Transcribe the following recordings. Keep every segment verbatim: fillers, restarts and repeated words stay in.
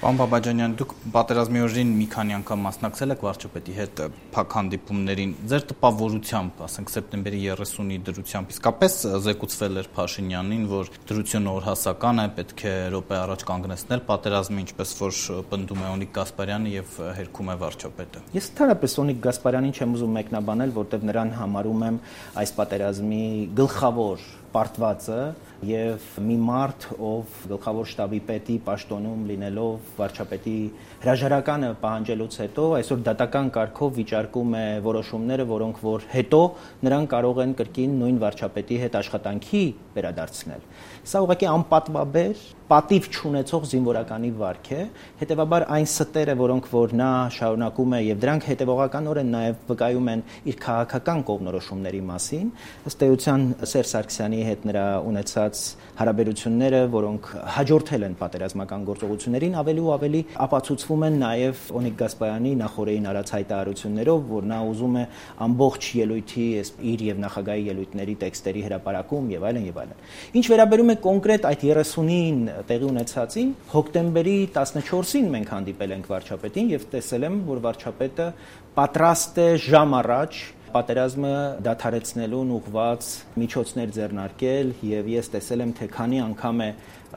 Պարոն Բաբաջանյան, դուք պատերազմի օրերին մի քանի անգամ մասնակցել եք վարչապետի հետ փակ հանդիպումներին, ձեր տպավորությամբ, ասենք սեպտեմբերի երեսունի դրությամբ, իսկապես զեկուցվել էր Փաշինյանին, որ դրությունը օրհասական է, պետք է րոպե առաջ կանգնեցնել պատերազմը, ինչպես որ պնդում է Օնիկ Գասպարյանը եւ հերքում է վարչապետը։ Ես ընդհանրապես Օնիկ Գասպարյանին չեմ ուզում մեկնաբանել, որտեղ նրան համարում եմ այս պատերազմի գլխավոր պարտվածը եւ մի մարդ, ով գլխավոր շտաբի պետի պաշտոնում լինելով վարչապետի հրաժարականը պահանջելուց հետո այսօր դատական կարգով վիճարկում է որոշումները, որոնք որ հետո նրան կարող են կրկին նույն վարչապետի հետ աշխատանքի վերադարձնել։ Սա ուղղակի անպատվաբեր, պատիվ չունեցող զինվորականի վարք է, հետեւաբար այն ստերը, որոնք որ նա շարունակում է եւ դրանք հետեւողականորեն նաեւ վկայում են իր քաղաքական կողմնորոշումների մասին, ըստ էության Սերժ Սարգսյանի հետ նրա ունեցած հարաբերությունները, որոնք հաջորդել են պատերազմական գործողություններին, ավելի ու ավելի ապացուցվում են նաեւ Օնիկ Գասպարյանի նախորդին արած հայտարարություններով, որ նա ուզում է ամբողջ ելույթի իր եւ նախագահի ելույթների տեքստերի հրապարակում եւ այլն եւ այլն։ Ինչ վերաբերում է կոնկրետ այդ երեսունին տեղի ունեցածին, հոկտեմբերի տասնչորսին մենք հանդիպել ենք վարչապետին եւ տեսել եմ, որ վարչապետը պատրաստ է ժամ առաջ պատերազմը դադարեցնելուն ուղղված միջոցներ ձեռնարկել եւ ես տեսել եմ, թե քանի անգամ է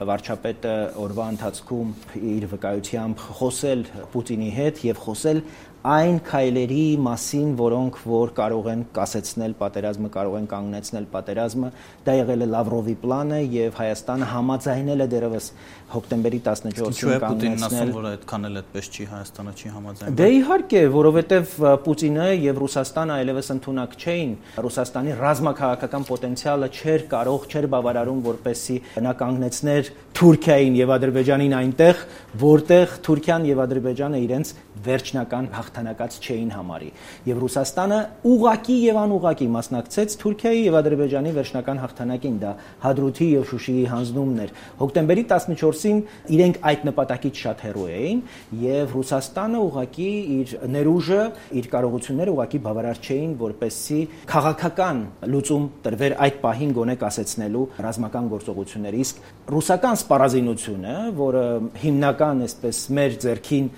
վարչապետը օրվա ընթացքում իր վկայությամբ խոսել Պուտինի հետ եւ խոսել այն քայլերի մասին, որոնք որ կարող են կասեցնել պատերազմը, կարող են կանգնեցնել պատերազմը, դա եղել է Լավրովի պլանը եւ Հայաստանը համաձայնել է դերևս հոկտեմբերի տասնչորսին կանգնեցնել։ Պուտինն ասում, որ այդքան էլ այդպես չի, Հայաստանը չի համաձայնել։ Դե իհարկե, որովհետեւ Պուտինը եւ Ռուսաստանը այլևս ընդունակ չէին, Ռուսաստանի ռազմաքաղաքական պոտենցիալը չէր կարող, չէր բավարարում, որպեսզի նա կանգնեցներ Թուրքիային եւ Ադրբեջանին այնտեղ, որտեղ Թուրքիան եւ Ադրբեջանը իրենց վերջնական հաղթանակած չէին համարի եւ Ռուսաստանը ուղակի եւ անուղակի մասնակցեց Թուրքիայի եւ Ադրբեջանի վերջնական հաղթանակին, դա Հադրութի եւ Շուշիի հանձնումն էր։ Հոկտեմբերի տասնչորսին իրենք այդ նպատակից շատ հեռու էին եւ Ռուսաստանը ուղակի իր ներուժը, իր կարողությունները ուղակի բավարար չէին, որպեսզի քաղաքական լուծում տրվեր այդ պահին գոնե կասեցնելու ռազմական գործողությունների։ Իսկ ռուսական սպառազինությունը, որը հիմնական այսպես մեր ձեռքին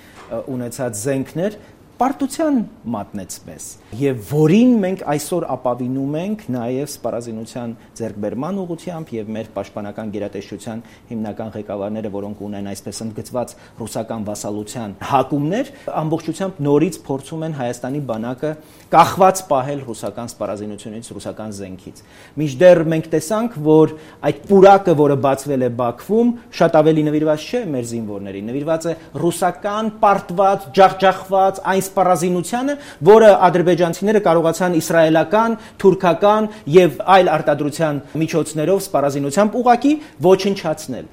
ունեցած զենքներ պարտության մատնեց մեզ եւ որին մենք այսօր ապավինում ենք նաեւ սպառազինության ձեռքբերման ուղղությամբ եւ մեր պաշտպանական գերատեսչության հիմնական ղեկավարները, որոնք ունեն այսպես ընդգծված ռուսական վասալության հակումներ, ամբողջությամբ նորից փորձում են Հայաստանի բանակը կախված պահել ռուսական սպառազինությունից, ռուսական զենքից։ Մինչդեռ մենք տեսանք, որ այդ պուրակը, որը բացվել է Բաքվում, շատ ավելի նվիրված չէ մեր զինվորներին, նվիրված է ռուսական պարտված, ջախջախված այն սպառազինությանը, որը ադրբեջանցիները կարողացան իսրայելական, թուրքական եւ այլ արտադրության միջոցներով սպառազինությամբ ուղակի ոչնչացնել։